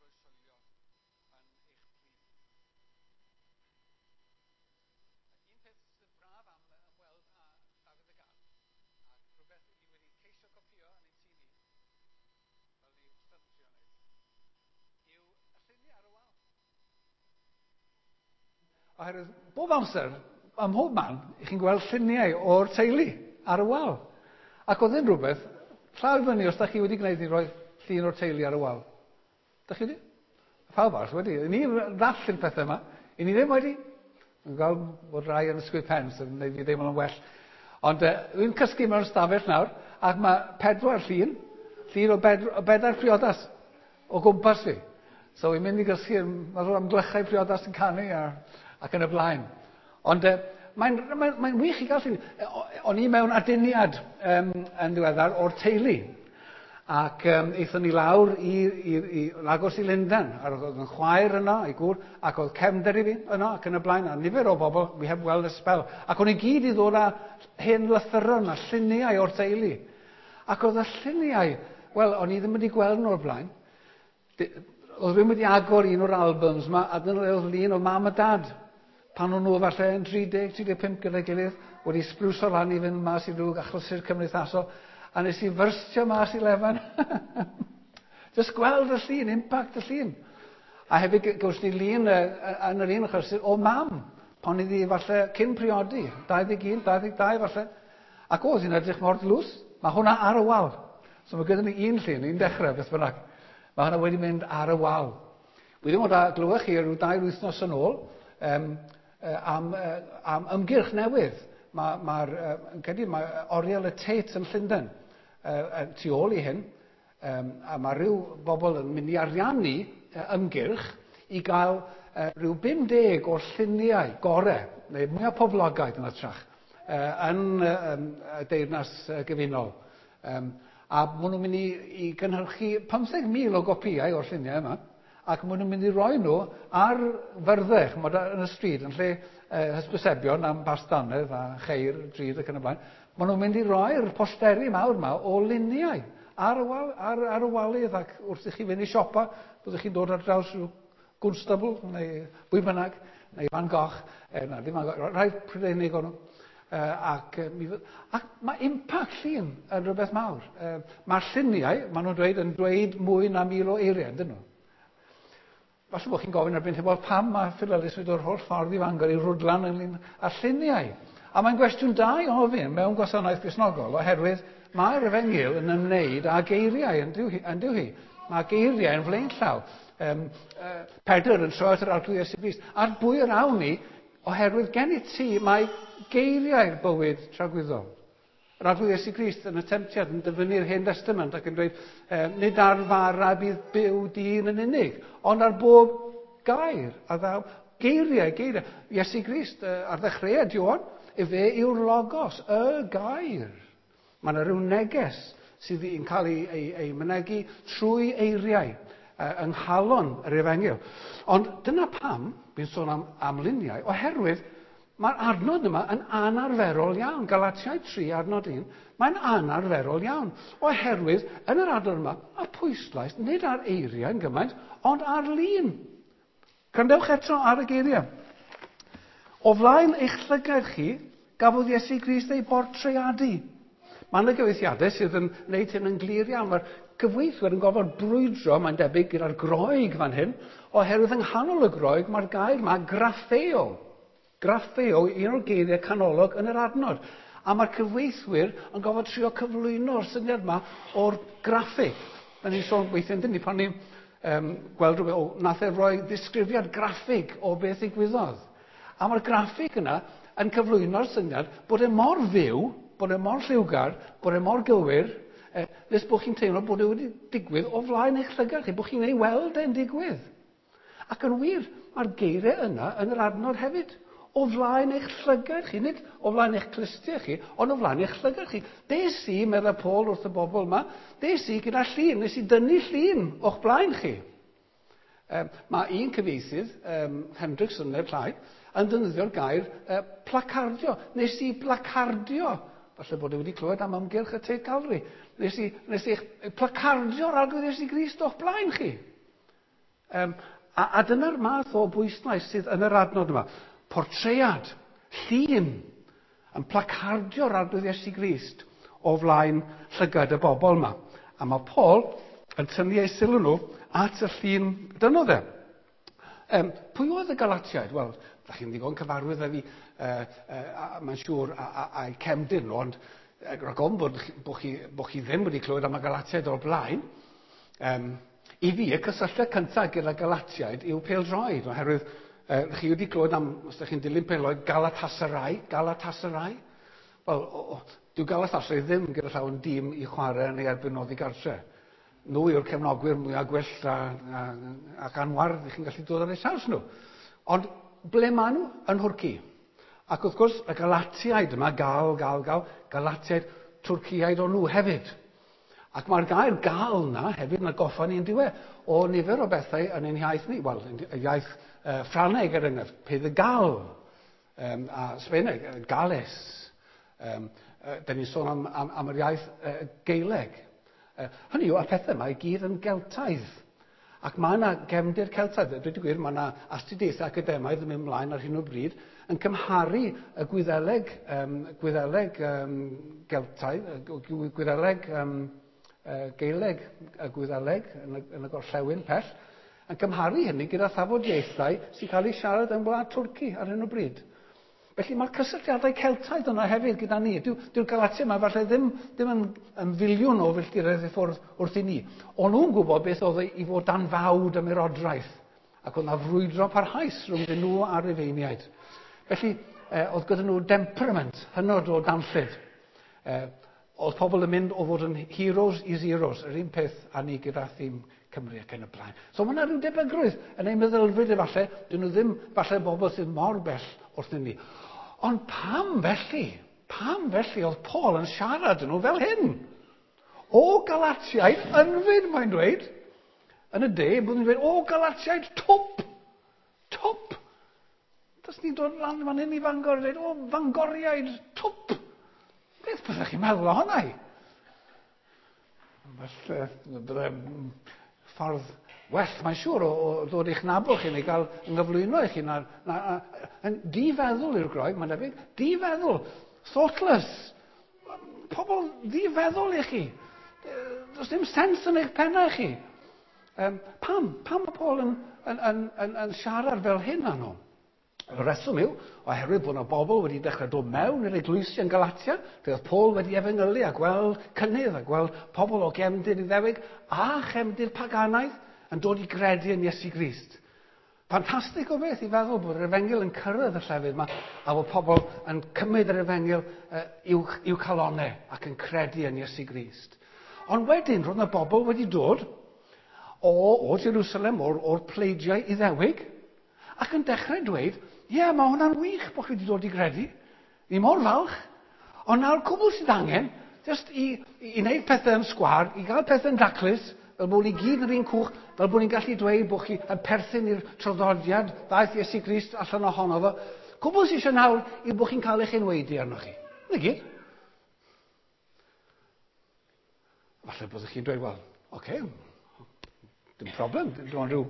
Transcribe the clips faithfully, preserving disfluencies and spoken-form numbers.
Croeshoelio yn eich plith. Un peth sydd braf am ymweld â Dafydd y Gad, ac rhywbeth ni wedi ceisio copio yn ein tŷ ni, fel ni wastad yn trio wneud, yw y lluniau ar y wal. Oherwydd bob amser, ym mhob man, i chi'n gweld lluniau o'r teulu ar y wal. Ac oedd yn rhywbeth, llaw i fyny os da chi wedi gwneud i roi llun o'r teulu ar y wal. Da chi wedi? Pawb arall wedi. Ni ddall i'r pethau yma. I ni ddim wedi. Dwi'n gweld bod rai yn ysgwyd pen, sy'n gwneud fi deimlo'n well. Ond uh, dwi'n cysgu mewn stafell nawr, ac mae pedwar llun, llun o, bed, o bedair priodas o gwmpas fi. So i'n mynd i gysgu, mae'r amglychau priodas yn canu a, ac yn y blaen. Ond uh, mae'n mae, mae wych i gael llun. O'n i mewn aduniad um, yn ddiweddar o'r teulu. Ac um, aethon ni lawr i, i, i agos i Lundain. A oedd yn chwaer yno, ei gŵr, ac oedd cefnder i fi yno, ac yn y blaen, a nifer o bobl, we heb weld ers sbel. Ac o'n i gyd i ddod â hen lythyron a lluniau o'r teulu. Ac oedd y lluniau, wel, o'n i ddim wedi gweld nhw o'r blaen. Oedd rhywun wedi agor un o'r albums yma, a dyna oedd lun o mam a dad. Pan o'n nhw falle yn tri deg, tri deg pump gyda'i gilydd, wedi sbrwso lan i fynd mas i rhyw achlysur cymdeithasol, a nes i fyrstio mas i lefan. Just gweld y llun, impact y llun. A hefyd gawson ni lun yn yr un achlysur o mam, pan iddi falle cyn priodi, dau ddeg un, dau ddeg dau falle. Ac oedd hi'n edrych mor dlws. Mae hwnna ar y wal. So mae gyda ni un llun, un dechrau, beth bynnag. Mae hwnna wedi mynd ar y wal. Wi ddim ond a glywech chi rhyw dair wythnos yn ôl um, am, am ymgyrch newydd. Mae'r, ma, ma, credu, mae Oriel y Tate yn Llundain uh, tu ôl i hyn. Um, a mae rhyw bobl yn mynd i ariannu uh, ymgyrch i gael uh, rhyw bum deg o'r lluniau gorau, neu mwyaf poblogaidd yn hytrach, uh, yn uh, um, y Deyrnas uh, Gyfunol. Um, a maen nhw'n mynd i, i gynhyrchu pymtheg mil o gopïau o'r lluniau yma, ac maen nhw'n mynd i roi nhw ar fyrddau, ch'mod, yn y stryd, yn lle eh, hysbysebion am bastanedd a cheir, drud ac yn y blaen. Maen nhw'n mynd i roi'r posteri mawr yma o luniau ar y, wal, ar, ar y walydd, ac wrth i chi fynd i siopa, byddwch chi'n dod ar draws rhyw gwnstabl, neu bwy bynnag, neu Van Gogh, eh, na, ddim Van Gogh, rhai Prydeinig o'n nhw. Uh, ac, uh, ac mae impact llun yn rhywbeth mawr. Uh, mae'r lluniau, maen nhw'n dweud, yn dweud mwy na mil o eiriau, ydyn nhw? Falle bod chi'n gofyn erbyn hyn, wel, pam mae Phil Ellis wedi dod o'r holl ffordd i Fangor i rwdlan ynglyn â lluniau? A mae'n gwestiwn da i ofyn mewn gwasanaeth Gristnogol, oherwydd mae'r efengyl yn ymwneud â geiriau, yn dyw hi, yn dyw hi. Mae geiriau yn flaenllaw. Um, uh, Pedr yn troi at yr Arglwydd Iesu Grist. A'r bwy yr awn ni, oherwydd gen i ti mae geiriau'r bywyd tragwyddol. Yr Arglwydd Iesu Grist yn y temtiad yn dyfynnu'r Hen Testament ac yn dweud, eh, nid ar fara bydd byw dyn yn unig, ond ar bob gair a ddaw. Geiriau, geiriau. Iesu Grist eh, ar ddechreuad Ioan, efe yw'r logos, y gair. Mae yna rhyw neges sydd yn cael ei, ei, ei mynegi trwy eiriau eh, yng nghalon yr efengyl. Ond dyna pam, fi'n sôn am, am luniau, oherwydd mae'r adnod yma yn anarferol iawn. Galatiaid tri, adnod un, mae'n anarferol iawn. Oherwydd, yn yr adnod yma, mae pwyslais nid ar eiriau yn gymaint, ond ar lun. Gwrandewch eto ar y geiriau. O flaen eich llygaid chi, gafodd Iesu Grist ei bortreadu. Mae yna gyfieithiadau sydd yn gwneud hyn yn glir iawn. Mae'r cyfieithwyr yn gorfod brwydro, mae'n debyg, gyda'r Groeg fan hyn, oherwydd yng nghanol y Groeg mae'r gair yma graffeo. Graffeo, un o'r geiriau canolog yn yr adnod. A mae'r cyfieithwyr yn gorfod trio cyflwyno'r syniad yma o'r graffig. Da ni'n sôn weithiau, yndyn ni, pan ni'n um, gweld rhywbeth, o, nath e roi ddisgrifiad graffig o beth ddigwyddodd. A mae'r graffig yna yn cyflwyno'r syniad bod e mor fyw, bod e mor lliwgar, bod e mor gywir, eh, nes bod chi'n teimlo bod e wedi digwydd o flaen eich llygad chi, bod chi'n ei weld e'n digwydd. Ac yn wir, mae'r geiriau yna yn yr adnod hefyd. O flaen eich llygad chi, nid o flaen eich clustiau chi, ond o flaen eich llygad chi. Des i, meddai Paul wrth y bobl yma, des i gyda llun, nes i dynnu llun o'ch blaen chi. Um, mae un cyfieithydd, um, Hendrickson neu'r llai, yn defnyddio'r gair uh, placardio. Nes i placardio, falle bod e wedi clywed am ymgyrch y Tate Gallery, nes i, nes i placardio'r Arglwydd Iesu Grist o'ch blaen chi. Um, a, a dyna'r math o bwyslais sydd yn yr adnod yma. Portread, llun, yn placardio'r Arglwydd Iesu Grist o flaen llygad y bobl yma. A mae Paul yn tynnu eu sylw nhw at y llun dyno dde. Um, pwy oedd y Galatiaid? Wel, da chi'n ddigon cyfarwydd â fi, uh, uh, mae'n siŵr, a'i cefndir nhw, ond rhag ofn bod, bod, chi, bod chi ddim wedi clywed am y Galatiaid o'r blaen. Um, I fi, y cysylltiad cyntaf gyda Galatiaid yw pêl-droed, oherwydd uh, chi wedi clywed am, os ydych chi'n dilyn pêl-droed, Galatasaray, Galatasaray. Wel, dyw Galatasaray ddim gyda llaw yn dîm i chwarae yn ei erbyn oddi gartre. Nhw yw'r cefnogwyr mwyaf gwyllt a, a, ac anwar chi'n gallu dod ar eu traws nhw. Ond ble maen nhw? Yn Nhwrci. Ac wrth gwrs, y Galatiaid yma, gal, gal, gal, Galatiaid, Twrciaid o'n nhw hefyd. Ac mae'r gair gal na hefyd yn atgoffa ni'n diwe o nifer o bethau yn ein iaith ni. Wel, y iaith uh, Ffraneg er enghraifft, Pays de Galles, um, a Sbeineg, Gales. Um, uh, da ni'n sôn am, am, am yr iaith uh, Gaeleg. Uh, hynny yw, y pethau yma i gyd yn Geltaidd. Ac mae yna gefndir Celtaidd. Dweud y gwir, mae yna astudiaethau academaidd yn mynd ymlaen ar hyn o bryd yn cymharu y Gwyddeleg, um, Gwyddeleg um, Geltaidd, Gwyddeleg um, uh, Gaeleg, y Gwyddeleg yn y, yn y gorllewin pell, yn cymharu hynny gyda thafodieithau sy'n cael eu siarad yn wlad Twrci ar hyn o bryd. Felly mae'r cysylltiadau Celtaidd yna hefyd gyda ni. Dyw'r dyw Galatia yma falle ddim, ddim yn, yn filiwn o filltiroedd i ffwrdd wrth i ni. O'n nhw'n gwybod beth oedd i fod dan fawd ymerodraeth. Ac oedd yna frwydro parhaus rhwng nhw a'r Rufeiniaid. Felly, eh, oedd gyda nhw temperament hynod o danllyd. Eh, oedd pobl yn mynd o fod yn heroes i zeros, yr un peth â ni gyda thîm Cymru ac yn y blaen. So mae yna rhyw debygrwydd yn ein meddylfryd efallai, dyn nhw ddim falle bobl sydd mor bell wrthyn ni. Ond pam felly? Pam felly oedd Paul yn siarad nhw fel hyn? O Galatiaid ynfyd, mae'n dweud. Yn y de, bod nhw'n dweud, o Galatiaid twp! Twp! Does ni'n dod lan fan hyn i Fangor a dweud, o Fangoriaid twp! Beth byddech chi'n meddwl ohono i? Falle, bydde ffordd well, mae'n siŵr, o, o ddod i'ch nabod chi neu gael ynghyflwyno i chi. Na, na, na, yn difeddwl i'r Groeg, mae'n debyg. Difeddwl. Thoughtless. Pobl ddifeddwl i chi. Does dim sens yn eich pennau chi. Um, pam? Pam mae Paul yn, yn, yn, yn, yn siarad fel hyn â nhw? Y reswm yw, oherwydd bod yna bobl wedi dechrau dod mewn i'r eglwysi yn Galatia, lle oedd Paul wedi efengylu a gweld cynnydd a gweld pobl o gefndir Iddewig a chefndir paganaidd yn dod i gredu yn Iesu Grist. Ffantastig o beth i feddwl bod yr efengyl yn cyrraedd y llefydd yma a bod pobl yn cymryd yr efengyl uh, i'w, i'w calonau ac yn credu yn Iesu Grist. Ond wedyn, roedd yna bobl wedi dod o, o Jerusalem, o'r, o'r pleidiau Iddewig, ac yn dechrau dweud, ie, yeah, mae hwnna'n wych bod chi wedi dod i gredu. Ni mor falch. Ond nawr cwbl sydd angen, just i, i, i wneud pethau yn sgwar, i gael pethau'n daclus, fel bod ni gyd yn yr un cwch, fel bod ni'n gallu dweud bod chi yn perthyn i'r traddodiad ddaeth Iesu Grist allan ohono fo. Cwbl sydd eisiau nawr yw bod chi'n cael eich enwaedu arnoch chi. Na gyd. Falle byddwch chi'n dweud, wel, oce, okay, dim problem, dim ond rhyw,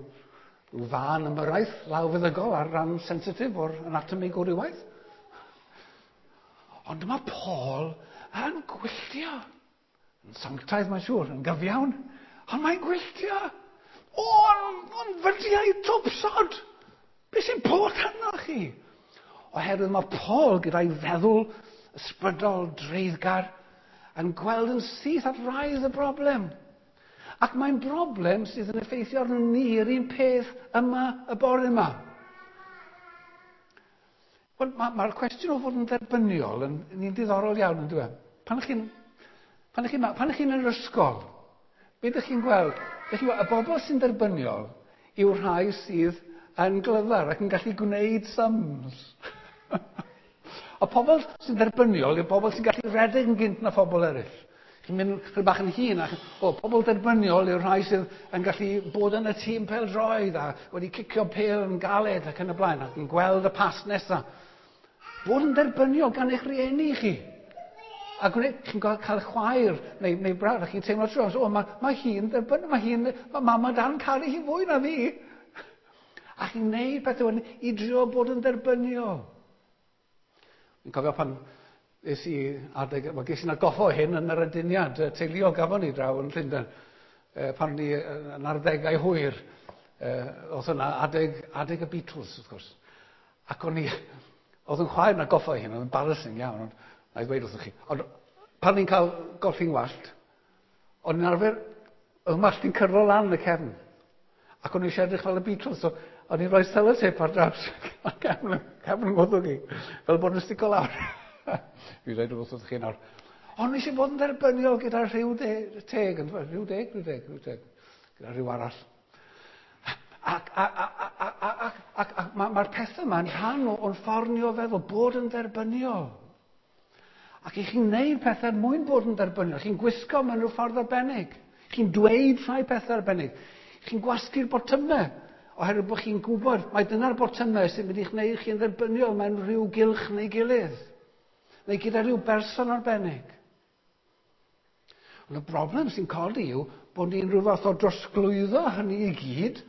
rhyw fân ymyrraeth lawfeddygol ar ran sensitif o'r anatomi gwrywaidd. Ond dyma Paul yn gwylltio. Yn sanctaidd, mae'n siŵr, yn gyfiawn. Ond mae'n gwylltio. O, ond fydiau twpsod! Be sy'n bod arnoch chi? Oherwydd mae Paul gyda'i feddwl ysbrydol dreiddgar yn gweld yn syth at wraidd y broblem. Ac mae'n broblem sydd yn effeithio arno ni yr un peth yma y bore yma. Wel, mae'r ma cwestiwn o fod yn dderbyniol yn, yn un diddorol iawn, yn dweud. Pan ych chi'n pan ych chi'n pan ych chi'n yn yr ysgol, beth ydych chi'n gweld? Ydych chi'n gweld, y bobl sy'n dderbyniol yw'r rhai sydd yn glyfar ac yn gallu gwneud sums. Y pobl sy'n dderbyniol yw'r bobl sy'n gallu redeg yn gynt na phobl eraill. Chi'n mynd chydig bach yn hŷn, ac o, pobl derbyniol yw'r rhai sydd yn gallu bod yn y tîm pêl-droed a wedi cicio pêl yn galed ac yn y blaen ac yn gweld y pas nesaf. Bod yn derbyniol gan eich rieni chi. A gwneud, chi'n cael chwaer neu, neu brawd, a chi'n teimlo trwy, o, mae, mae hi'n derbyniol, mae hi'n, mae mam a dad yn caru hi fwy na fi. A chi'n neud pethau wedyn i drio bod yn dderbyniol. Fi'n cofio pan es i adeg, wel, ges i'n atgoffa o hyn yn yr aduniad teuluol gafon ni draw yn Llundain, pan ni yn arddegau hwyr, oedd yna adeg, adeg y Beatles, wrth gwrs. Ac o'n i, oedd yn chwaer yn atgoffa o hyn, oedd yn embarrassing iawn, ond na i ddweud wrthych chi. Ond pan ni'n cael golchi'n wallt, o'n i'n arfer, oedd wallt i'n cyrlo lan yn y cefn. Ac o'n i eisiau edrych fel y Beatles, so o'n i'n rhoi sellotape ar draws cefn, cefn ngwddwg i, fel bod yn stico lawr. Fi'n dweud wrth chi nawr. Ond eisiau bod yn dderbyniol gyda rhyw teg, rhyw deg, rhyw deg, rhyw teg, gyda rhyw arall. Ac, ac, ac, ac, ac, ac mae'r ma pethau yma'n rhan o'n ffordd ni o feddwl, bod yn dderbyniol. Ac i chi'n neud pethau er mwyn bod yn dderbyniol, chi'n gwisgo mewn rhyw ffordd arbennig, chi'n dweud rhai pethau arbennig, chi'n gwasgu'r botymau, oherwydd bod chi'n gwybod mai dyna'r botymau sy'n mynd i'ch gwneud chi'n dderbyniol mewn rhyw gylch neu gilydd, neu gyda rhyw berson arbennig. Ond y broblem sy'n codi yw bod ni'n rhyw fath o drosglwyddo hynny i gyd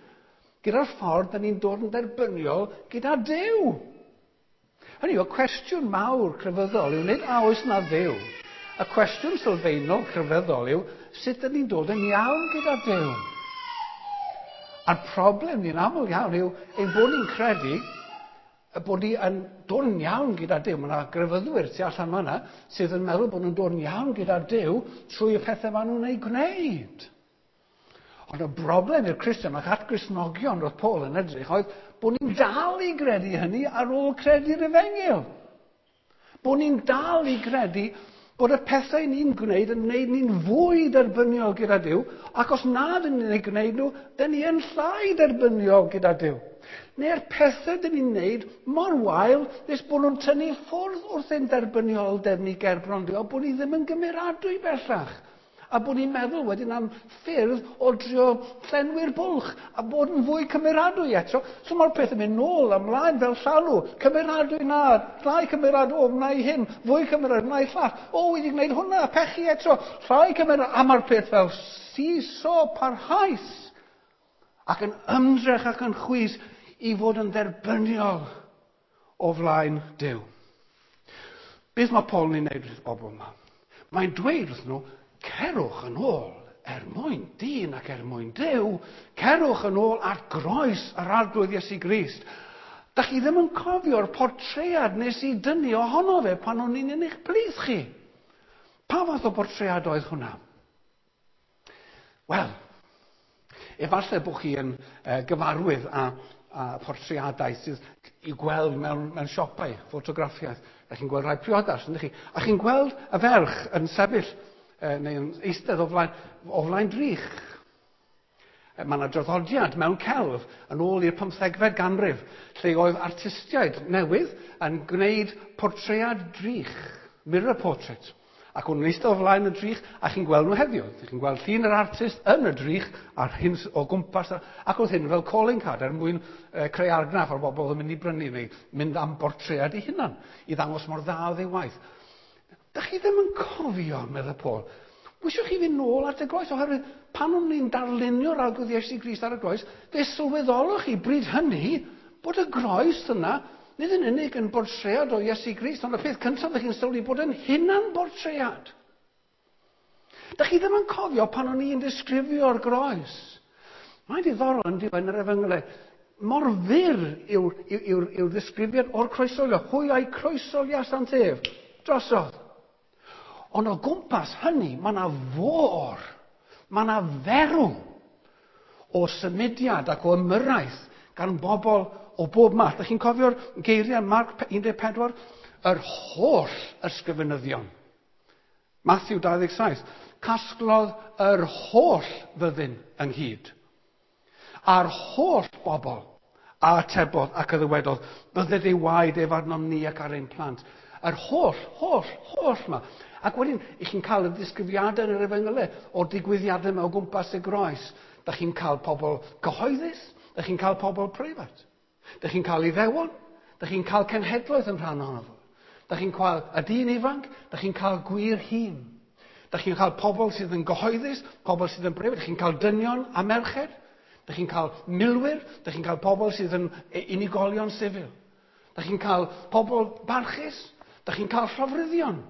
gyda'r ffordd da ni'n dod yn dderbyniol gyda Duw. Hynny yw, y cwestiwn mawr crefyddol yw nid a oes na Dduw. Y cwestiwn sylfaenol crefyddol yw sut ydyn ni'n dod yn iawn gyda Duw. A'r problem ni'n aml iawn yw ein bod ni'n credu y bod ni yn dod yn iawn gyda Duw. Mae yna grefyddwyr tu allan fan'na sydd yn meddwl bod nhw'n dod yn iawn gyda Duw trwy y pethau maen nhw'n ei gwneud. Ond y broblem i'r Cristion ac at Gristnogion roedd Paul yn edrych oedd bod ni'n dal i gredu hynny ar ôl credu'r efengyl. Bod ni'n dal i gredu bod y pethau ni'n gwneud yn gwneud ni'n fwy derbyniol gyda Duw, ac os na dyn ni'n ei gwneud nhw, dyn ni yn llai derbyniol gyda Duw. Neu'r pethau dyn ni'n gwneud mor wael nes bod nhw'n tynnu ffwrdd wrth ein derbynioldeb ni gerbron Duw, a bod ni ddim yn gymeradwy bellach. A bod ni'n meddwl wedyn am ffyrdd o drio llenwi'r bwlch a bod yn fwy cymeradwy eto. So mae'r peth yn mynd nôl ymlaen fel llanw. Cymeradwy na, llai cymeradwy, o, wna i hyn, fwy cymeradwy, wna i llall. O, wedi gwneud hwnna, pechu eto, llai cymeradwy. A mae'r peth fel seesaw parhaus ac yn ymdrech ac yn chwys i fod yn dderbyniol o flaen Duw. Beth mae Paul yn ei wneud wrth bobl yma? Mae'n dweud wrth nhw, cerwch yn ôl er mwyn dyn ac er mwyn Duw, cerwch yn ôl at groes yr Arglwydd Iesu Grist. Da chi ddim yn cofio'r portread nes i dynnu ohono fe pan o'n i'n yn eich plith chi. Pa fath o portread oedd hwnna? Wel, efallai bod chi yn uh, gyfarwydd â, â portreadau sydd i'w gweld mewn, mewn siopau, ffotograffiaeth. Da chi'n gweld rhai priodas, yndych chi? A chi'n gweld y ferch yn sefyll neu yn eistedd o flaen, o flaen drych. Mae yna draddodiad mewn celf yn ôl i'r pymthegfed ganrif, lle oedd artistiaid newydd yn gwneud portread drych, mirror portrait. Ac o'n nhw'n eistedd o flaen y drych, a chi'n gweld nhw heddiw. Chi'n gweld llun yr artist yn y drych, a'r hyn o gwmpas, ac oedd hyn fel calling card er mwyn uh, creu argraff ar bobl oedd yn mynd i brynu neu mynd am bortread ei hunan, i ddangos mor dda oedd ei waith. Da chi ddim yn cofio, meddai Paul. Wisiwch chi fynd nôl at y groes, oherwydd pan o'n ni'n darlunio'r Arglwydd Iesu Grist ar y groes, fe sylweddolwch chi bryd hynny bod y groes yna nid yn unig yn bortread o Iesu Grist, ond y peth cyntaf ych chi'n sylwi bod yn hunan bortread. Da chi ddim yn cofio pan o'n i'n disgrifio'r groes. Mae'n diddorol yn diwedd yr efengylau. Mor fyr yw'r yw, yw, yw ddisgrifiad o'r croeshoelio. Hwy a'i croeshoeliasant ef drosodd. Ond o gwmpas hynny, mae yna fôr, mae yna ferw o symudiad ac o ymyrraeth gan bobl o bob math. Dych chi'n cofio'r geiriau Marc un deg pedwar? Yr holl ysgrifenyddion. Matthew dau ddeg saith. Casglodd yr holl fyddin ynghyd. A'r holl bobl a atebodd ac a ddywedodd, bydded ei waed ef arnom ni ac ar ein plant. Yr holl, holl, holl yma. Ac wedyn, i chi'n cael y disgrifiadau yn yr efengylau o'r digwyddiadau yma o gwmpas y groes. Da chi'n cael pobl cyhoeddus, da chi'n cael pobl preifat. Da chi'n cael Iddewon, da chi'n cael cenhedloedd yn rhan ohono fo. Da chi'n cael y dyn ifanc, da chi'n cael gwir hun. Da chi'n cael pobl sydd yn gyhoeddus, pobl sydd yn breifat, da chi'n cael dynion a merched. Dych chi'n cael milwyr, dych chi'n cael pobl sydd yn unigolion sifil. Dych chi'n cael pobl barchus, dych chi'n cael llofruddion.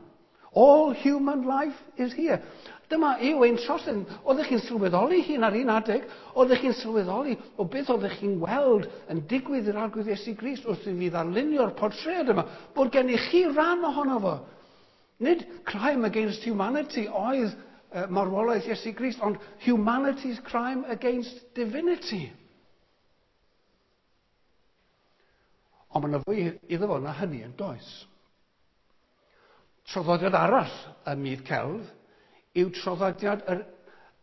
All human life is here. Dyma yw ein trosedd. Oeddech chi'n sylweddoli hyn ar un adeg? Oeddech chi'n sylweddoli o beth oeddech chi'n weld yn digwydd i'r Arglwydd Iesu Grist wrth i fi ddarlunio'r portread yma? Bod gennych chi ran ohono fo. Nid crime against humanity oedd uh, marwolaeth Iesu Grist, ond humanity's crime against divinity. Ond mae yna fwy iddo fo na hynny yn does. Traddodiad arall ym myd celf yw traddodiad yr,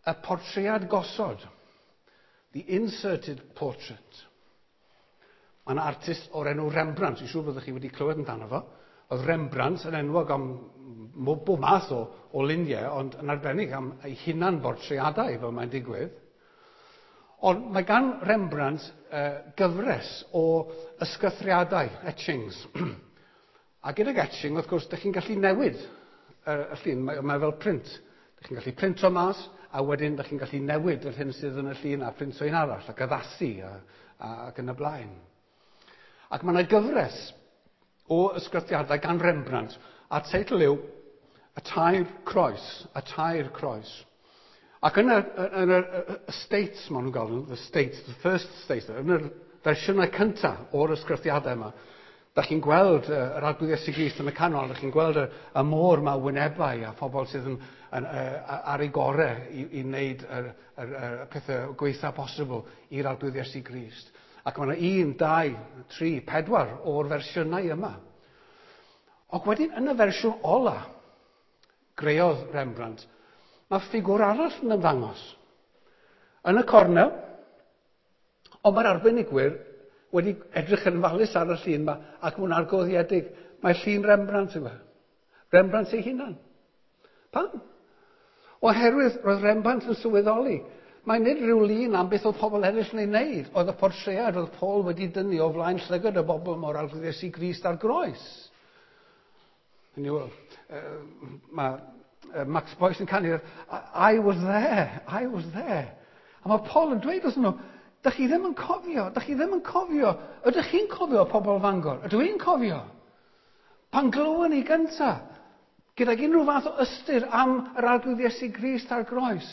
y portread gosod, the inserted portrait. Mae yna artist o'r enw Rembrandt, dwi'n siŵr byddwch chi wedi clywed amdano fo. Oedd Rembrandt yn enwog am bob math o, o luniau, ond yn arbennig am ei hunan bortreadau, fel mae'n digwydd. Ond mae gan Rembrandt uh, gyfres o ysgythriadau, etchings. A gydag etching, wrth gwrs, dych chi'n gallu newid y, y llun, mae, mae fel print. Dych chi'n gallu printo mas, a wedyn dych chi'n gallu newid yr hyn sydd yn y llun a printo un arall, ac addasu, a, a, ac yn y blaen. Ac mae yna gyfres o ysgrythiadau gan Rembrandt, a'r teitl yw Y Tair Croes, Y Tair Croes. Ac yn y, yn y, y States, maen nhw'n galw, the States, the first States, yn y fersiynau cyntaf o'r ysgrythiadau yma, da chi'n gweld uh, yr Arglwydd Iesu Grist yn y canol, da chi'n gweld y, y môr ma wynebau a phobl sydd yn, yn, uh, ar ei gorau i, i wneud y, y, y, y pethau gweitha posibl i'r Arglwydd Iesu Grist. Ac mae yna un, dau, tri, pedwar o'r fersiynau yma. Ac wedyn yn y fersiwn ola, greodd Rembrandt, mae ffigwr arall yn ymddangos. Yn y cornel, ond mae'r arbenigwyr wedi edrych yn falus ar y llun yma ac mwyn argoddiedig. Mae llun Rembrandt yma. Rembrandt ei hunan. Pam? Oherwydd roedd Rembrandt yn sylweddoli. Mae nid rhyw lun am beth oedd pobl eraill yn ei wneud. Oedd y portread oedd Paul wedi dynnu o flaen llygad y bobl mor Arglwydd Iesu Grist ar groes. Hynny yw, uh, mae Max Boyce yn canu, I was there, I was there. A mae Paul yn dweud wrthyn nhw, dych chi ddim yn cofio, dych chi ddim yn cofio. Ydych chi'n cofio pobl Fangor? Ydw i'n cofio? Pan glywon ni gynta, gydag unrhyw fath o ystyr am yr Arglwydd Iesu Grist ar groes.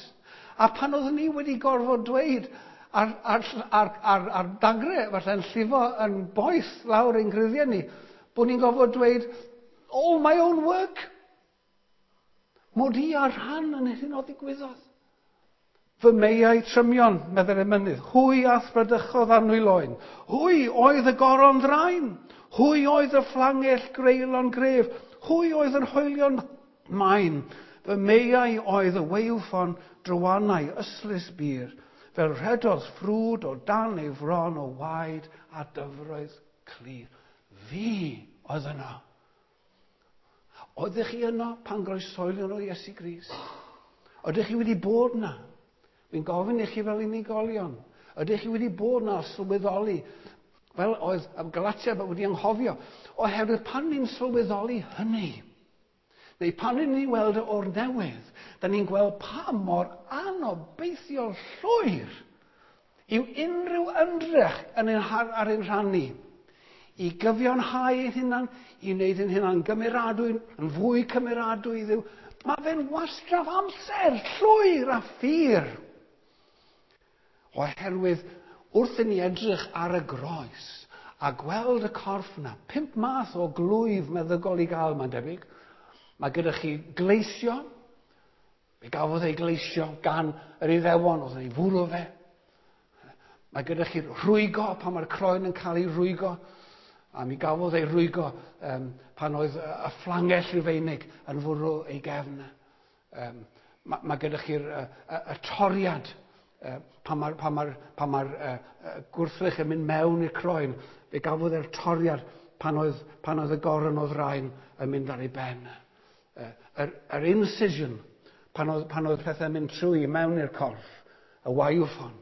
A pan oeddwn ni wedi gorfod dweud ar, ar, ar, ar, ar dagre, falle'n llifo yn boeth lawr ein gruddiau ni, bod ni'n gorfod dweud, all my own work. Mod i ar rhan yn hyn o ddigwyddodd. Fy meiau trymion, meddai'r emynydd, hwy a'th bradychodd anwyl oen. Hwy oedd y goron ddrain. Hwy oedd y fflangell greulon gref. Hwy oedd yr hoelion main. Fy meiau oedd y waywffon drywanau ystlys bur, fel rhedodd ffrwd o dan ei fron o waed a dyfroedd clir. Fi oedd yno. Oeddech chi yno pan groeshoelion o Iesu Grist? Oeddech chi wedi bod yna? Fi'n gofyn i chi fel unigolion. Ydych chi wedi bod yna sylweddoli, fel oedd y Galatia wedi anghofio, oherwydd pan ni'n sylweddoli hynny, neu pan ni'n weld o'r newydd, da ni'n gweld pa mor anobeithiol llwyr yw unrhyw ymdrech yn ein, ar ein rhan ni i gyfiawnhau ein hunan, i wneud ein hunan gymeradwy, yn fwy cymeradwy i Dduw. Mae fe'n wastraff amser llwyr a ffyr. Oherwydd wrth i ni edrych ar y groes a gweld y corff yna, pump math o glwyf meddygol i gael, mae'n debyg. Mae gyda chi gleisio. Fe gafodd ei gleisio gan yr Iddewon, oedd ei fwrw fe. Mae gyda chi rhwygo, pan mae'r croen yn cael ei rhwygo. A mi gafodd ei rhwygo um, pan oedd y fflangell Rufeinig yn fwrw ei gefn. Um, mae, mae gyda chi'r y, y, y toriad, uh, pan mae'r pan mae'r, pan mae'r uh, uh, gwrthrych yn mynd mewn i'r croen. Fe gafodd e'r toriad pan oedd, pan oedd y goron o ddrain yn mynd ar ei ben. Uh, yr, yr incision, pan oedd, pan oedd pethau'n mynd trwy mewn i'r corff, y waywffon,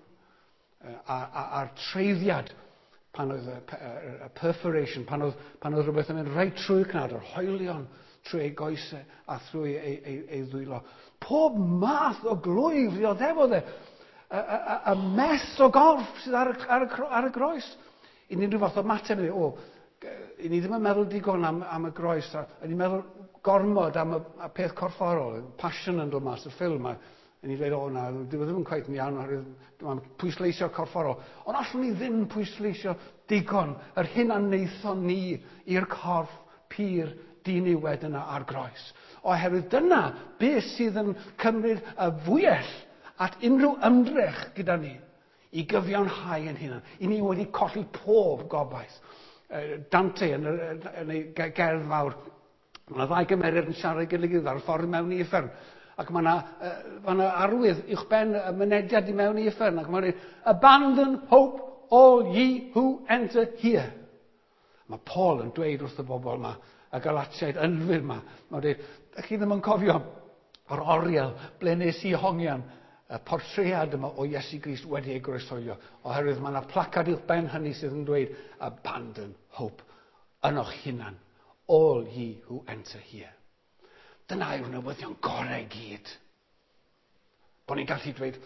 uh, a, a, a'r treiddiad, pan oedd y, y, y perforation, pan oedd, pan oedd rhywbeth yn mynd reit trwy'r cnawd, yr hoelion trwy ei goesau a thrwy ei, ei, ei ddwylo. Pob math o glwyf ddioddefodd e. y, y, y mess o gorff sydd ar y, ar y, ar y groes. I ni'n rhyw fath o mateb, o, i ni ddim yn meddwl digon am, am y groes, a, a ni'n meddwl gormod am y, y peth corfforol, Passion yn dod mas, y ffilm, a, a ni'n dweud, o na, dyw e ddim yn cweit yn iawn, oherwydd mae'n pwysleisio corfforol. Ond allwn ni ddim pwysleisio digon yr hyn a wnaethon ni i'r corff pur diniwed yna ar groes. Oherwydd dyna beth sydd yn cymryd y fwyell at unrhyw ymdrech gyda ni i gyfiawnhau yn hunan. I ni wedi colli pob gobaith. Dante yn, yn ei gerdd fawr, mae yna ddau gymeriad yn siarad gyda'i gilydd ar y ffordd mewn i uffern. Ac mae yna, mae yna arwydd uwchben y mynediad i mewn i uffern. Ac mae'n dweud, "Abandon hope all ye who enter here." Mae Paul yn dweud wrth y bobl yma, y Galatiaid ynfyd yma, mae'n dweud, ydych chi ddim yn cofio yr oriel ble nes i hongian y portread yma o Iesu Grist wedi ei groeshoelio, oherwydd mae yna placard uwch ben hynny sydd yn dweud, "Abandon hope ynoch hunan, all ye who enter here." Dyna yw'r newyddion gorau i gyd. Bod ni'n gallu dweud,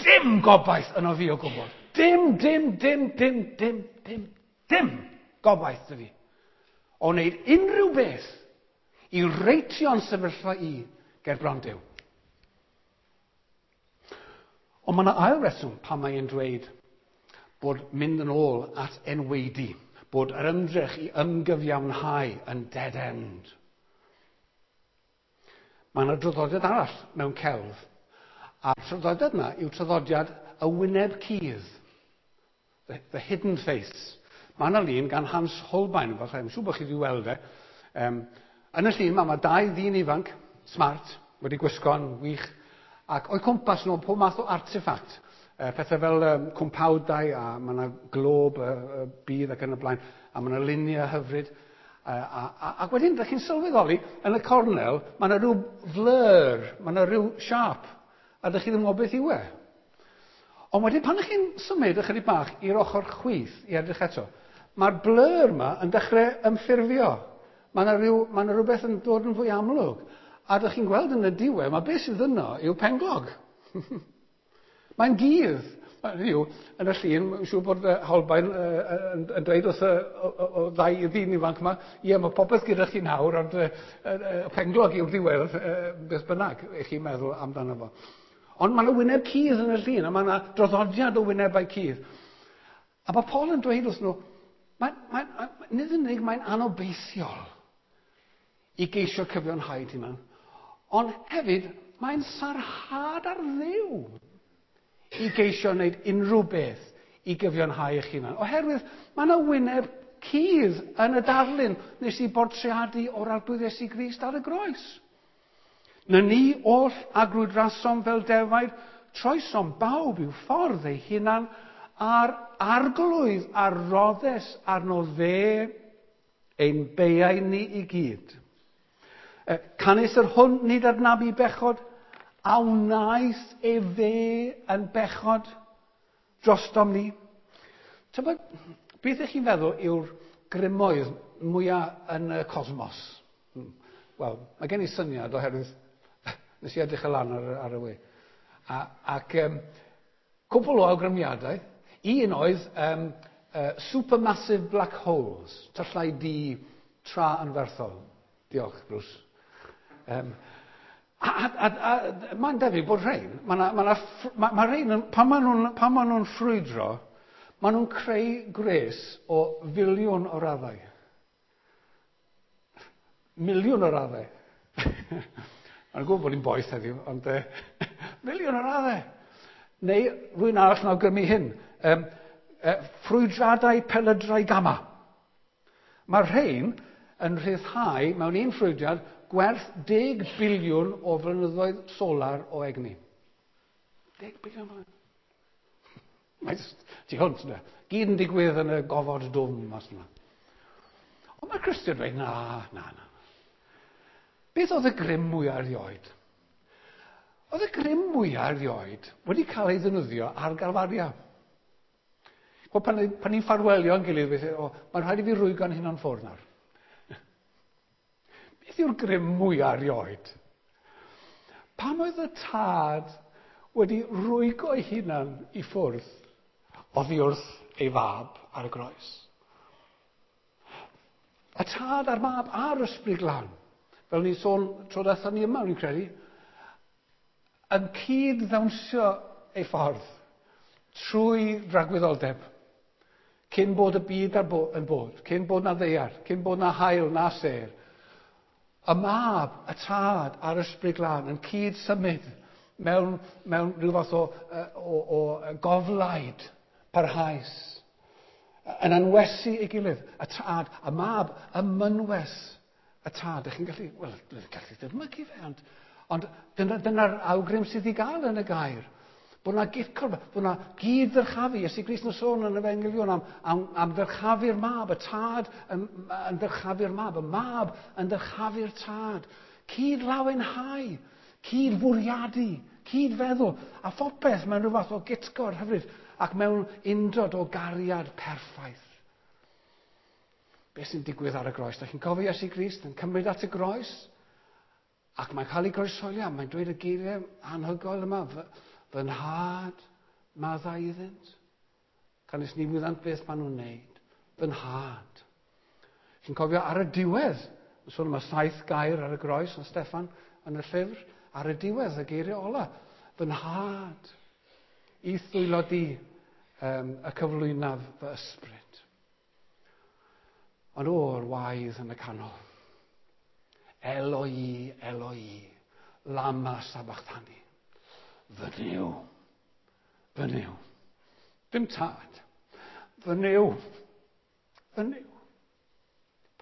dim gobaith yno fi o gwbl. Dim, dim, dim, dim, dim, dim, dim gobaith 'da fi o wneud unrhyw beth i reitio'n sefyllfa i ger bron Duw. Ond mae yna ail reswm pan mae'n dweud bod mynd yn ôl at enwaedu, bod yr ymdrech i ymgyfiawnhau yn dead end. Mae yna draddodiad arall mewn celf, a'r traddodiad yna yw traddodiad y wyneb cudd, the, the hidden face. Mae yna lun gan Hans Holbein, falle, I'm siŵr bod chi wedi weld e. Um, yn y llun yma, mae dau ddyn ifanc, smart, wedi gwisgo'n wych, ac o'i cwmpas nhw pob math o artifact. Uh, pethau fel um, cwmpawdau, a mae yna glob y uh, uh, byd ac yn y blaen, a mae yna luniau hyfryd. Uh, a, a, ac wedyn, ydych chi'n sylweddoli, yn y cornel, mae yna rhyw blur, mae yna rhyw siâp, a ydych chi ddim yn gwybod beth yw e. Ond wedyn, pan ydych chi'n symud ychydig bach i'r ochr chwith i edrych eto, mae'r blur yma yn dechrau ymffurfio. Mae yna, rhyw, mae yna rhywbeth yn dod yn fwy amlwg. A ydych chi'n gweld yn y diwedd, mae beth sydd yno yw penglog. Mae'n gudd. Yw, yn y llun, mae'n siŵr bod Holbein uh, yn, yn dweud wrth y o, o, o ddau ddyn ifanc yma, ie, mae popeth gyda chi nawr, ond uh, uh, penglog yw'r diwedd, uh, beth bynnag, eich chi'n meddwl amdano fo. Ond mae yna wyneb cudd yn y llun, a mae yna draddodiad o wynebau cudd. A mae Paul yn dweud wrth nhw, mae, mae, nid yn unig mae'n anobeithiol i geisio cyfiawnhau hunan, ond hefyd mae'n sarhad ar Dduw i geisio wneud unrhyw beth i gyfiawnhau eich hunan. Oherwydd mae yna wyneb cudd yn y darlun nes i bortreadu o'r Arglwydd Iesu Grist ar y groes. Na ni oll a grwydrasom fel defaid, troesom bawb i'w ffordd ei hunan, a'r Arglwydd a roddes arno fe ein beiau ni i gyd. Canys yr hwn nid adnabu bechod, a wnaeth efe yn bechod drostom ni. Tybed, beth ych chi'n feddwl yw'r grymoedd mwyaf yn y cosmos? Wel, mae gen i syniad oherwydd nes i edrych y lan ar, ar y we. A, ac um, cwpl o awgrymiadau. Un oedd um, uh, supermassive black holes, tyllau du tra anferthol. Diolch, Bruce. Um, a, a, a, a mae'n debyg bod rhain, mae ma, ma, ma, ma rhain, pan maen nhw'n pan ma nhw'n ffrwydro, maen nhw'n creu gwres o filiwn o raddau. Miliwn o raddau. Mae'n gwybod bod hi'n boeth heddiw, ond uh, miliwn o raddau. Neu rhywun arall yn awgrymu hyn. Um, uh, ffrwydradau pelydrau gamma. Mae'r rhain yn rhyddhau mewn un ffrwydrad gwerth deg biliwn o flynyddoedd solar o egni. Deg biliwn o flynyddoedd. Mae tu hwnt yna. Gyd yn digwydd yn y gofod dwfn mas yna. Ond mae Cristion dweud, na, na, na. Beth oedd y grym mwyaf erioed? Oedd y grym mwyaf erioed wedi cael ei ddefnyddio ar Galfaria. Wel, pan, pan ni'n ffarwelio yn gilydd, weithio, o, mae'n rhaid i fi rwygo'n hunan ffwrdd nawr. Beth yw'r grym mwyaf erioed? Pan oedd y tad wedi rwygo ei hunan i ffwrdd oddi wrth ei fab ar y groes. Y tad a'r mab a'r ysbryd glân, fel ni'n sôn tro diwetha ni yma, rwy'n credu, yn cyd ddawnsio ei ffordd trwy dragwyddoldeb, cyn bod y byd ar bo yn bod, cyn bod na ddaear, cyn bod na haul na sêr. Y mab, y tad a'r ysbryd glân yn cyd symud mewn, mewn rhyw fath o, o, o goflaid parhaus, yn anwesu ei gilydd, y tad, y mab, y mynwes, y tad. Ydych chi'n gallu, wel, gallu dychmygu fe, ond, ond dyna'r dyna awgrym sydd i gael yn y gair. Bod yna gydcor, bod yna gyd ddyrchafu. Iesu Grist yn sôn yn y Efengylion am, am, am ddyrchafu'r mab, y tad yn, yn ddyrchafu'r mab, y mab yn ddyrchafu'r tad. Cyd lawenhau, cyd fwriadu, cyd feddwl, a phopeth mewn rhyw fath o gytgord hyfryd ac mewn undod o gariad perffaith. Beth sy'n digwydd ar y groes? Da chi'n cofio Iesu Grist yn cymryd at y groes? Ac mae'n cael ei groeshoelio, mae'n dweud y geiriau anhygoel yma, fy, fy nhad, maddau iddynt. Canys ni wyddant beth maen nhw'n wneud. Fy nhad. Chi'n cofio ar y diwedd, yn sôn am y saith gair ar y groes yn Steffan yn y llyfr, ar y diwedd, y geiriau ola, fy nhad, i'th ddwylo di um, y cyflwynaf fy ysbryd. Ond o'r waedd yn y canol. Eloi, Eloi, lama sabachthani. Fy Nuw, fy Nuw. Dim tad. Fy Nuw, fy Nuw.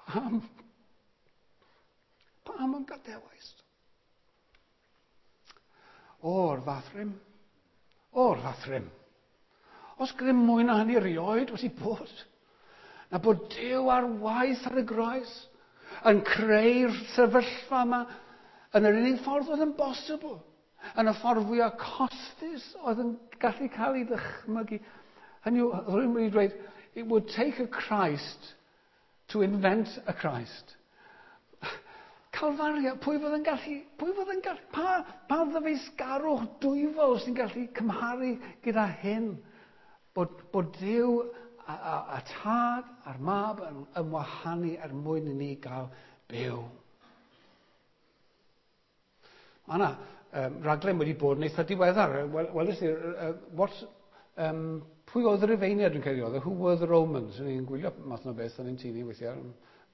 Pam? Pam yn gadewais? O'r fath rym. O'r fath rym. Os grym mwy na hynny erioed wedi bod, na bod Duw ar waith ar y groes, yn creu'r sefyllfa yma, yn yr unig ffordd oedd yn bosibl, yn y ffordd fwyaf costus oedd yn gallu cael ei ddychmygu. Hynny yw, rwy'n wedi dweud, it would take a Christ to invent a Christ. Calfaria, pwy fydd yn gallu, pwy fydd yn gallu, pa, pa ddyfeisgarwch dwyfol sy'n gallu cymharu gyda hyn? Bod, bod Duw a, a, a tad a'r mab yn ymwahanu er mwyn i ni gael byw. Mae yna um, raglen wedi bod yn eitha diweddar. Wel, weles i, uh, what, um, pwy oedd y Rufeiniaid yn credu oedd? Who were the Romans? Yn ni'n gwylio math o beth yn ein tŷ ni weithiau.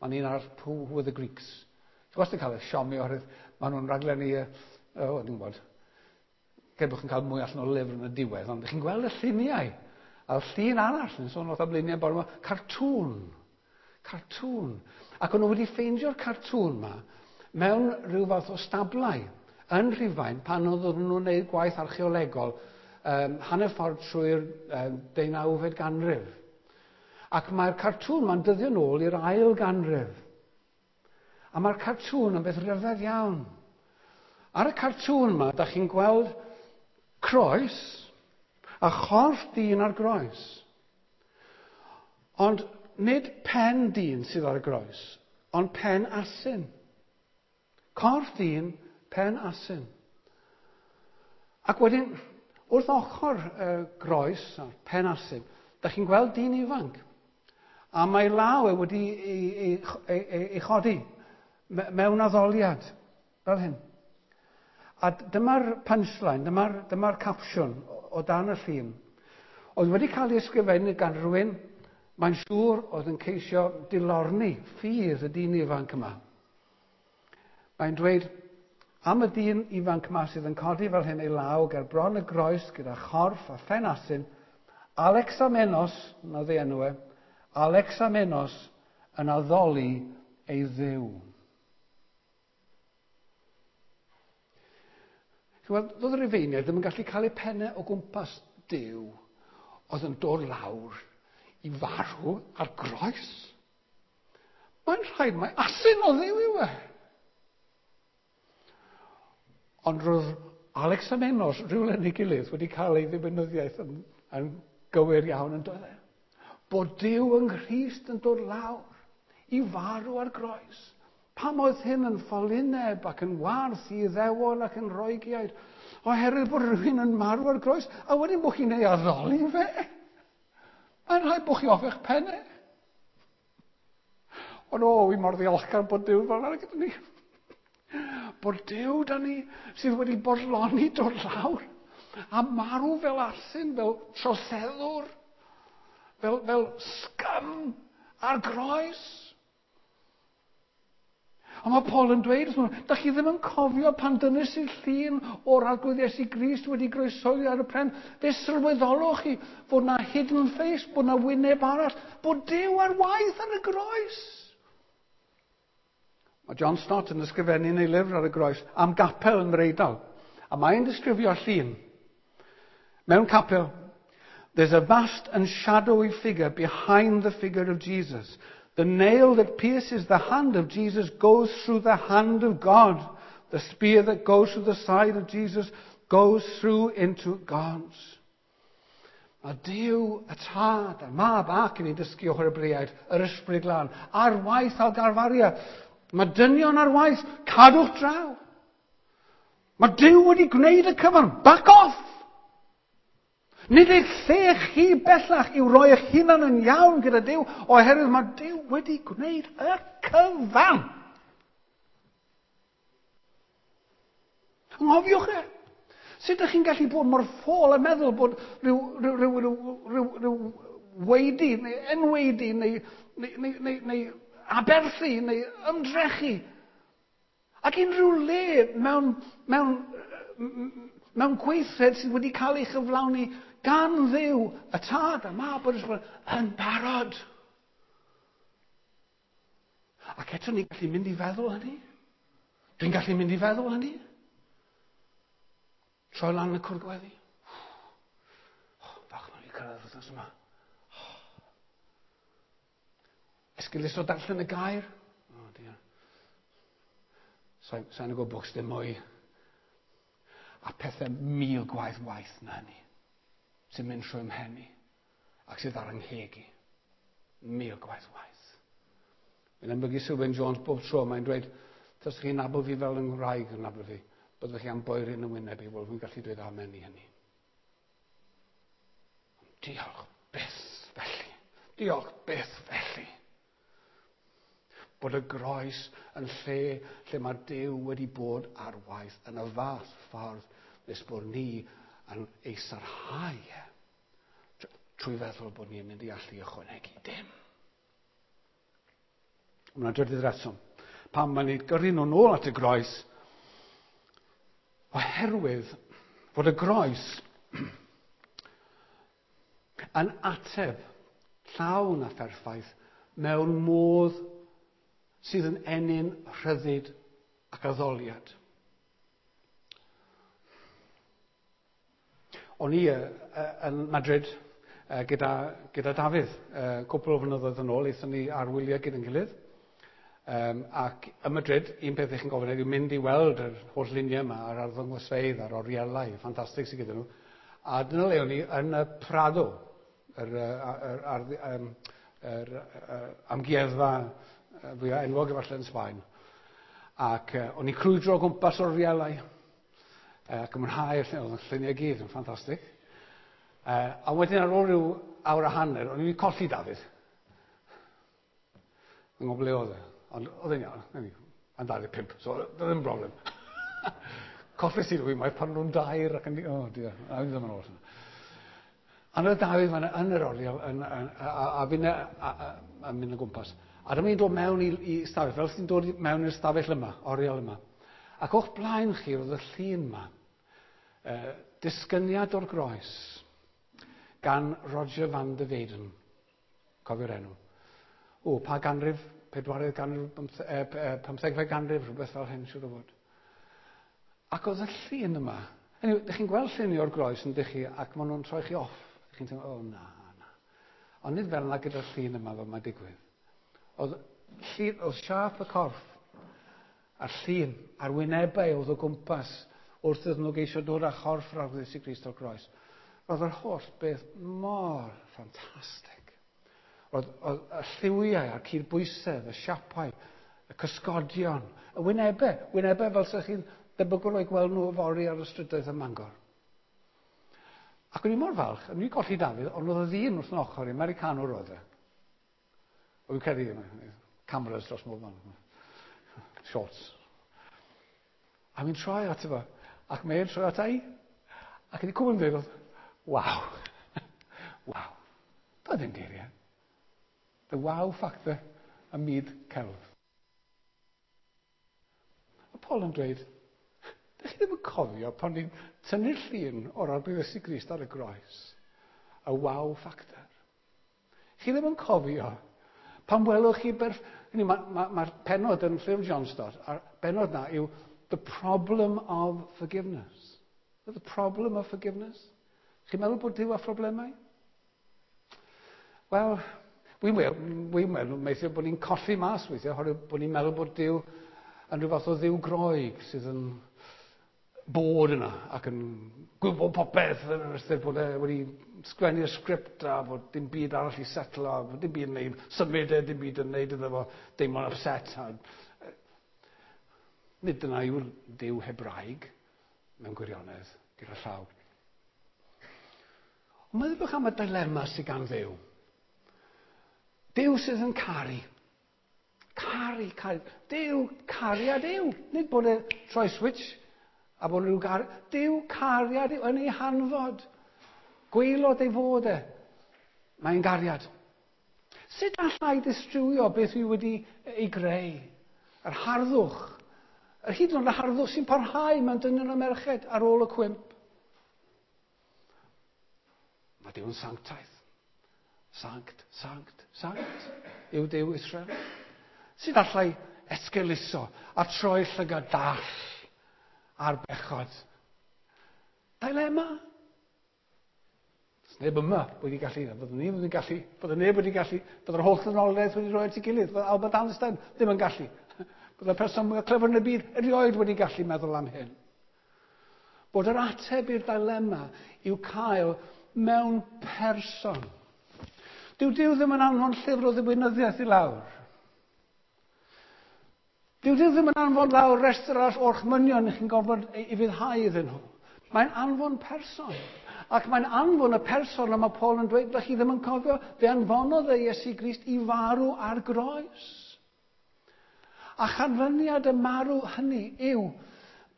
Mae'n un arall, who, who were the Greeks? Ti'n wastad yn cael y siomi oherwydd maen nhw'n raglen i, uh, oh, dwi'n gwybod, Cred bod chi'n cael mwy allan o lyfr yn y diwedd, ond chi'n gweld y lluniau. A'r llun arall yn sôn wrth am luniau bore yma, cartŵn. Cartŵn. Ac o'n nhw wedi ffeindio'r cartŵn yma mewn rhyw fath o stablau yn Rhufain pan oedden nhw'n gwneud gwaith archeolegol um, hanner ffordd trwy'r um, deunawfed ganrif. Ac mae'r cartŵn ma'n dyddio nôl i'r ail ganrif. A mae'r cartŵn yn beth rhyfedd iawn. Ar y cartŵn yma, da chi'n gweld croes a chorff dyn ar groes. Ond nid pen dyn sydd ar y groes, ond pen asyn. Corff dyn, pen asyn. Ac wedyn, wrth ochr y groes a'r pen asyn, da chi'n gweld dyn ifanc. A mae law e wedi ei, ei, ei, ei, ei chodi mewn addoliad, fel hyn. A dyma'r punchline, dyma'r dyma capsiwn o dan y llun. Oedd wedi cael ei ysgrifennu gan rhywun, mae'n siŵr oedd yn ceisio dilorni ffydd y dyn ifanc yma. Mae'n dweud, am y dyn ifanc yma sydd yn codi fel hyn ei law ger bron y groes gyda chorff a phen asyn, Alexamenos, na ddi enw e, Alexamenos yn addoli ei ddiw. Wel, doedd y Rufeiniaid ddim yn gallu cael eu pennau o gwmpas Duw oedd yn dod lawr i farw ar groes. Mae'n rhaid mae asyn o Dduw yw e. Ond roedd Alexamenos rhywle yn ei gilydd wedi cael ei ddiwinyddiaeth yn, yn gywir iawn yn dod e. Bod Duw yng Nghrist yn dod lawr i farw ar groes Pam oedd hyn yn ffolineb ac yn warth i Iddewon ac yn Roegiaid? Oherwydd bod rhywun yn marw ar groes, a wedyn bod chi'n ei addoli fe. Mae'n rhaid bod chi off eich pennau. Ond o, wi mor ddiolchgar bod Duw fel yna gyda ni. Bod Duw da ni sydd wedi bodloni dod lawr a marw fel asyn, fel troseddwr, fel, fel scum ar groes. Ond mae Paul yn dweud wrth nhw, da chi ddim yn cofio pan dynnes i'r llun o'r Arglwydd Iesu Grist wedi groeshoelio ar y pren. Fe sylweddolwch chi fod na hidden face, bod na wyneb arall, bod Duw ar waith ar y groes. Mae John Stott yn ysgrifennu yn ei lyfr ar y groes am gapel yn yr Eidal. A mae'n disgrifio llun. Mewn capel, there's a vast and shadowy figure behind the figure of Jesus. The nail that pierces the hand of Jesus goes through the hand of God. The spear that goes through the side of Jesus goes through into God's. Mae Duw, y Tad, a'r Mab ac yn ei dysgu o'r Hebreaid, yr Ysbryd Glân, ar waith ar Galfaria. Mae dynion ar waith, cadwch draw. Mae Duw wedi gwneud y cyfan, back off! Nid eich lle chi bellach i'w roi eich hunan yn iawn gyda Duw, oherwydd mae Duw wedi gwneud y cyfan. Anghofiwch e. Sut ydych chi'n gallu bod mor ffôl a meddwl bod rhyw, rhyw, rhyw, rhyw, rhyw, rhyw weidi neu enweidi neu, neu, neu, neu, neu aberthu neu ymdrechu ac unrhyw le mewn, mewn, mewn gweithred sydd wedi cael ei chyflawni gan Dduw, y Tad, y Mab, yr Ysbryd, yn barod. Ac eto ni'n gallu mynd i feddwl hynny. Dwi'n gallu mynd i feddwl hynny. Troi lan y cwr gweddi. Oh, falch mae'n i cyrraedd wythnos yma. Oh. Esgeulus o darllen y gair. Oh, dear. Sa'n sa gwybod bwcs dim mwy. A pethau mil gwaith waith na hynny sy'n mynd trwy mhen i ac sydd ar 'ngheg i. Mil gwaith waith. Mae'n ymbygu Sylvain Jones bob tro, mae'n dweud, tas chi'n nabod fi fel yng Nghymraeg yn nabod fi, byddwch chi am boeri yn y wyneb i, wel, fi'n gallu dweud amen i hynny. Diolch byth felly. Diolch byth felly. Bod y groes yn lle lle mae Duw wedi bod ar waith yn y fath ffordd nes bod ni yn ei sarhau e trwy feddwl bod ni'n mynd i allu ychwanegu dim. Mae'n drydydd reswm. Pam mae'n ei gyrru nhw nôl at y groes, oherwydd fod y groes yn ateb llawn a pherffaith mewn modd sydd yn ennyn rhyddid ac addoliad. O'n i uh, yn Madrid uh, gyda, gyda Dafydd uh, cwpl o flynyddoedd yn ôl, aethon ni ar wyliau gyda'n gilydd. Um, ac ym Madrid, un peth eich chi'n gofyn yw mynd i weld yr holl luniau yma a'r arddangosfeydd a'r orielau ffantastig sydd gyda nhw. A dyna le o'n i yn y Prado, yr, yr, yr, yr, yr, yr amgueddfa fwyaf enwog efallai yn Sbaen. Ac uh, o'n i'n crwydro o gwmpas orielau ac yn mwynhau'r llun, oedd y lluniau gyd yn ffantastig. Uh, a wedyn ar ôl rhyw awr a hanner, o'n i'n colli Dafydd. Yn gwybod ble oedd e. Ond oedd e'n iawn, yn dau ddeg pump, so doedd ddim broblem. Colles i rhywun, mae pan nhw'n dair ac yn... Oh dear, a fi ddim yn ôl. Ond oedd Dafydd fan'na yn yr oriel, yn, yn, a, a, a fi'n a, mynd o gwmpas. A dyma ni'n dod mewn i, i stafell, fel sy'n dod mewn i'r stafell yma, oriel yma. Ac o'ch blaen chi roedd y llun yma, uh, disgyniad o'r groes, gan Roger van der Weyden. Cofio'r enw. O, pa ganrif? Pedwaredd ganrif, pymthegfed ganrif, rhywbeth fel hyn, siŵr o fod. Ac oedd y llun yma, anyway, dych chi'n gweld lluniau o'r groes yn dych chi, ac maen nhw'n troi chi off. Dych chi'n teimlo, o na, na. Ond nid fel yna gyda'r llun yma fel mae'n digwydd. Oedd, llun, oedd siâp y corff, a'r llun, a'r wynebau oedd o gwmpas wrth iddyn nhw geisio dod â chorff yr Arglwydd Iesu Grist o'r groes. Roedd yr holl beth mor ffantastig. Roedd, oedd y lliwiau a'r cydbwysedd, y siapau, Y cysgodion, y wynebau, wynebau fel sy'ch chi'n debygol o'i gweld nhw yfory ar y strydoedd ym Mangor. Ac o'n i mor falch, o'n i'n colli Dafydd, ond oedd y ddyn wrth yn ochr i, Americanwr oedd e. O'n i'n credu, cameras dros mob man. Shots. A mi'n troi ato fo, ac mae'n troi ata i. Ac wedi cwbl yn dweud, oedd, waw, waw. Doedd ddim geiriau. The wow factor ym myd celf. A Paul yn dweud, dych chi ddim yn cofio pan ni'n tynnu'r llun o'r Arglwydd Iesu Grist ar y groes, y wow factor. Chi ddim yn cofio pan welwch chi berf... Mae'r ma, ma, ma penod yn llyfr John Stott, a'r benod na yw The Problem of Forgiveness. The Problem of Forgiveness. Chi'n meddwl bod Duw â phroblemau? Wel, wi'n meddwl, wi'n meddwl, meithio bod ni'n colli mas weithiau, oherwydd bod ni'n meddwl bod Duw yn rhyw fath o dduw Groeg sydd yn bod yna ac yn gwybod popeth yn yr ystyr bod e wedi sgwennu'r sgript a bod dim byd arall i setlo, a bod dim byd yn neud, symud e, dim byd yn neud iddo fo deimlo'n upset. A, nid dyna yw'r Duw Hebraeg mewn gwirionedd gyda llaw. Ond meddylwch am y dilema sydd gan Dduw. Duw sydd yn caru. Caru, caru. Duw, cariad yw. Nid bod e troi switch a bod rhyw gar... Duw cariad yw yn ei hanfod. Gwaelod ei fod e. Mae'n gariad. Sut allai distrywio beth dwi wedi ei greu? Yr harddwch. Yr hyd yn oed y harddwch sy'n parhau mewn dynion a merched ar ôl y cwymp. Mae Duw yn sanctaidd. Sanct, sanct, sanct yw Duw Israel. Sut allai esgeuluso a troi llygad dall ar bechod? Dilema. Does neb yma wedi gallu, byddwn ni wedi gallu, byddwn neb wedi gallu, byddai'r holl ddynoliaeth wedi rhoi at ei gilydd, byddai Albert Einstein ddim yn gallu. Byddai'r person mwyaf clyfar yn y byd erioed wedi gallu meddwl am hyn. Bod yr ateb i'r dilema i'w cael mewn person. Dyw Duw ddim yn anfon llyfr o ddiwinyddiaeth i lawr. Dyw Duw ddim yn anfon lawr restr arall o'r orchmynion i chi'n gorfod i ufuddhau iddyn nhw. Mae'n anfon person. Ac mae'n anfon y person a mae Paul yn dweud, chi ddim yn cofio, fe anfonodd e Iesu Grist i farw ar groes. A chanlyniad y marw hynny yw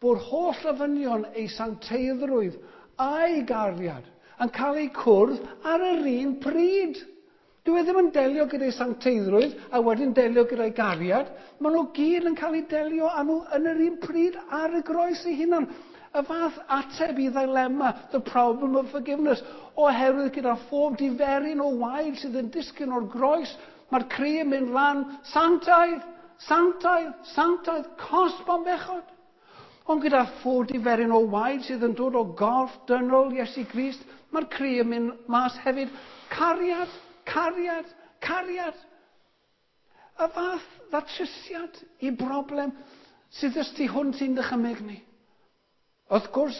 bod holl ofynion ei sancteiddrwydd a'i gariad yn cael eu cwrdd ar yr un pryd. Dyw e ddim yn delio gyda'i sancteiddrwydd a wedyn delio gyda'i gariad. Maen nhw gyd yn cael eu delio â nhw yn yr un pryd ar y groes ei hunan. Y fath ateb i ddilema, the problem of forgiveness, oherwydd gyda phob diferyn o waed sydd yn disgyn o'r groes, mae'r cri yn mynd lan, sanctaidd, sanctaidd, sanctaidd, cosb am bechod. Ond gyda phob diferyn o waed sydd yn dod o gorff dynol Iesu Grist, mae'r cri yn mynd mas hefyd, cariad, cariad, cariad. Y fath ddatrysiad i broblem sydd ys tu hwnt i'n dychymyg ni. Wrth gwrs,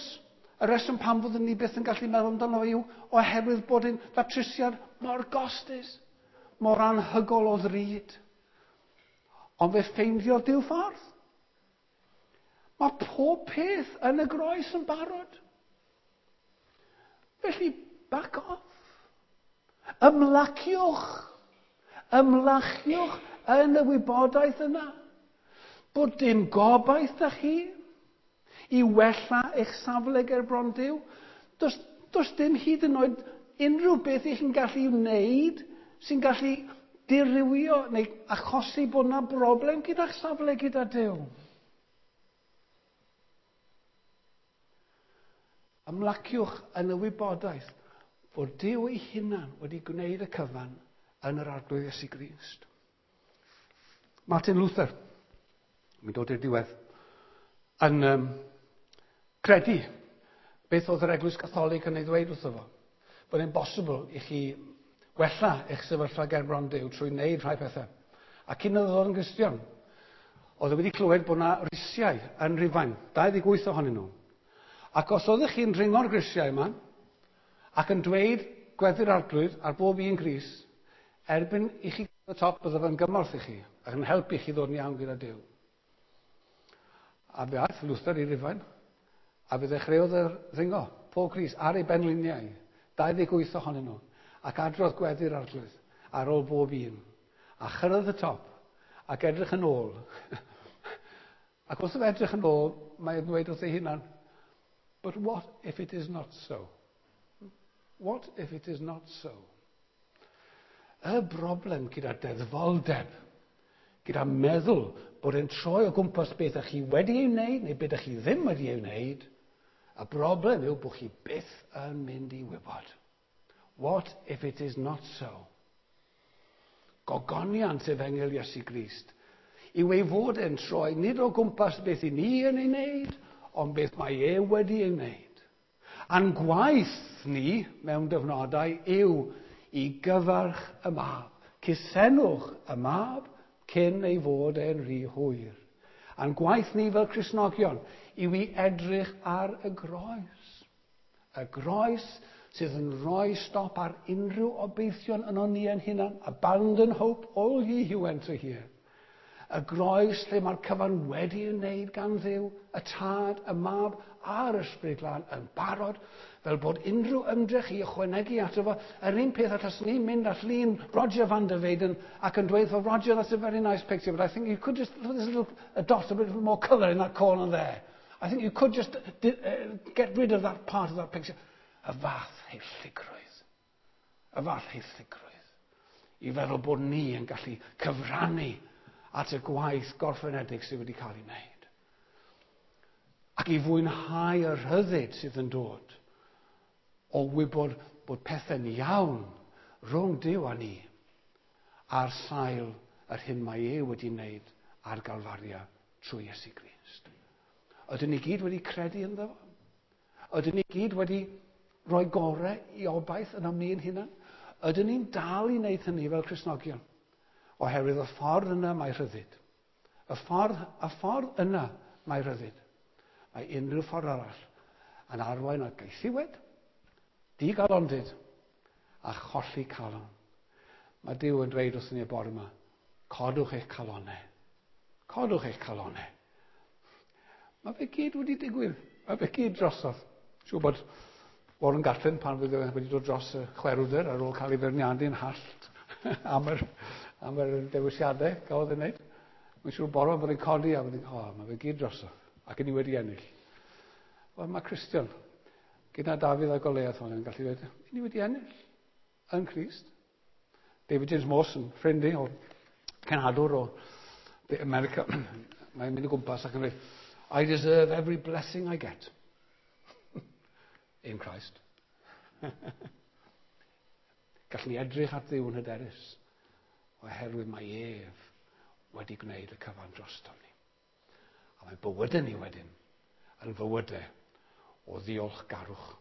y reswm pam fyddwn ni byth yn gallu meddwl amdano yw oherwydd bod yn ddatrysiad mor gostus, mor anhygol o ddrud. Ond fe ffeindiodd Duw ffordd. Mae pob peth yn y groes yn barod. Felly, back off. Ymlaciwch. Ymlaciwch yn y wybodaeth yna. Bod dim gobaith da chi i wella eich safle ger bron Duw. Does, does dim hyd yn oed unrhyw beth i chi'n gallu wneud sy'n gallu dirywio neu achosi bod yna broblem gyda'ch safle gyda Duw. Ymlaciwch yn y wybodaeth bod Duw ei hunan wedi gwneud y cyfan yn yr Arglwydd Iesu Grist. Martin Luther, mi'n dod i'r diwedd, yn um, credu beth oedd yr Eglwys Gatholig yn ei ddweud wrtho fo. Bod e'n bosibl i chi wella eich sefyllfa ger bron Duw trwy wneud rhai pethau. A cyn iddo ddod yn Gristion, oedd e wedi clywed bod yna risiau yn Rhufain, dau ddeg wyth ohonyn nhw. Ac os oeddech chi'n dringo'r grisiau yma, ac yn dweud gweddi'r Arglwydd ar bob un gris, Erbyn i chi y top, bydde fe'n gymorth i chi, ac yn helpu chi ddod yn iawn gyda Duw. A fe aeth Luther i Rufain, a fe ddechreuodd yr ddringo, Paul Crist, ar ei benliniau, dau ddeg wyth ohonyn nhw, ac adrodd gweddi'r Arglwydd ar ôl bob un. A chyrraedd y top, ac edrych yn ôl. Ac wrth iddo edrych yn ôl, mae'n dweud wrth ei hunan, "But what if it is not so? What if it is not so?" Y broblem gyda deddfoldeb, gyda meddwl bod e'n troi o gwmpas beth ych chi wedi ei wneud neu beth ych chi ddim wedi ei wneud, y broblem yw bod chi byth yn mynd i wybod. What if it is not so? Gogoniant Efengyl Iesu Grist yw ei fod e'n troi nid o gwmpas beth i ni yn ei wneud, ond beth mae e wedi ei wneud. A'n gwaith ni mewn dyfnodau yw i gyfarch y Mab. Cusenwch y Mab cyn ei fod e'n rhy hwyr. A'n gwaith ni fel Cristnogion yw i edrych ar y groes. Y groes sydd yn rhoi stop ar unrhyw obeithion yno ni yn hunan. "Abandon hope, all ye who enter here." Y groes lle mae'r cyfan wedi ei wneud gan Dduw, y Tad, y Mab a'r Ysbryd Glân yn barod, fel bod unrhyw ymdrech i ychwanegu ato fo, yr un peth allaswn ni'n mynd at lun Roger van der Weyden ac yn dweud, "Well, Roger, that's a very nice picture, but I think you could just put this little a dot, a bit more colour in that corner there. I think you could just uh, get rid of that part of that picture." Y fath haelligrwydd. Y fath haelligrwydd. I feddwl bod ni yn gallu cyfrannu at y gwaith gorffenedig sydd wedi cael ei wneud. Ac i fwynhau y rhyddid sydd yn dod o wybod bod pethau'n iawn rhwng Duw a ni ar sail yr hyn mae e wedi wneud ar Galfaria trwy Iesu Grist. Ydyn ni gyd wedi credu ynddo fo? Ydyn ni gyd wedi rhoi gorau i obaith yn am ni'n hunan? Ydyn ni'n dal i wneud hynny fel Cristnogion? Oherwydd y ffordd yna mae rhyddid. Y ffordd, y ffordd yna mae rhyddid. Mae unrhyw ffordd arall yn arwain at gaethiwed, digalondid a cholli calon. Mae Duw yn dweud wrthyn ni y bore yma, codwch eich calonau. Codwch eich calonau. Mae fe gyd wedi digwydd. Mae fe gyd drosodd. Siŵr bod Warren Gatland, pan fydd e wedi dod dros y chwerwder ar ôl cael ei feirniadu'n hallt am yr, am yr dewisiadau gafodd ei wneud. Mae'n siŵr bore bod e'n codi a bydd e'n, "Oh, mae fe gyd drosodd. Ac ni wedi ennill." Wel, mae Cristion, gyda Dafydd a Goliath hwn yn gallu dweud, ni wedi ennill yn Crist. David James Mawson, ffrind i o cenhadwr o America, mae'n mynd o gwmpas ac yn dweud, "I deserve every blessing I get in Christ." Gallwn ni edrych at Dduw yn hyderus, oherwydd mae ef wedi gwneud y cyfan drostom ni. A mae bywydau ni wedyn yn fywydau o ddiolchgarwch.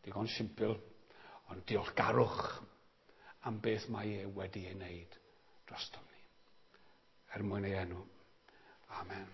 Digon simpl, ond diolchgarwch am beth mae e wedi ei wneud drostom ni. Er mwyn ei enw. Amen.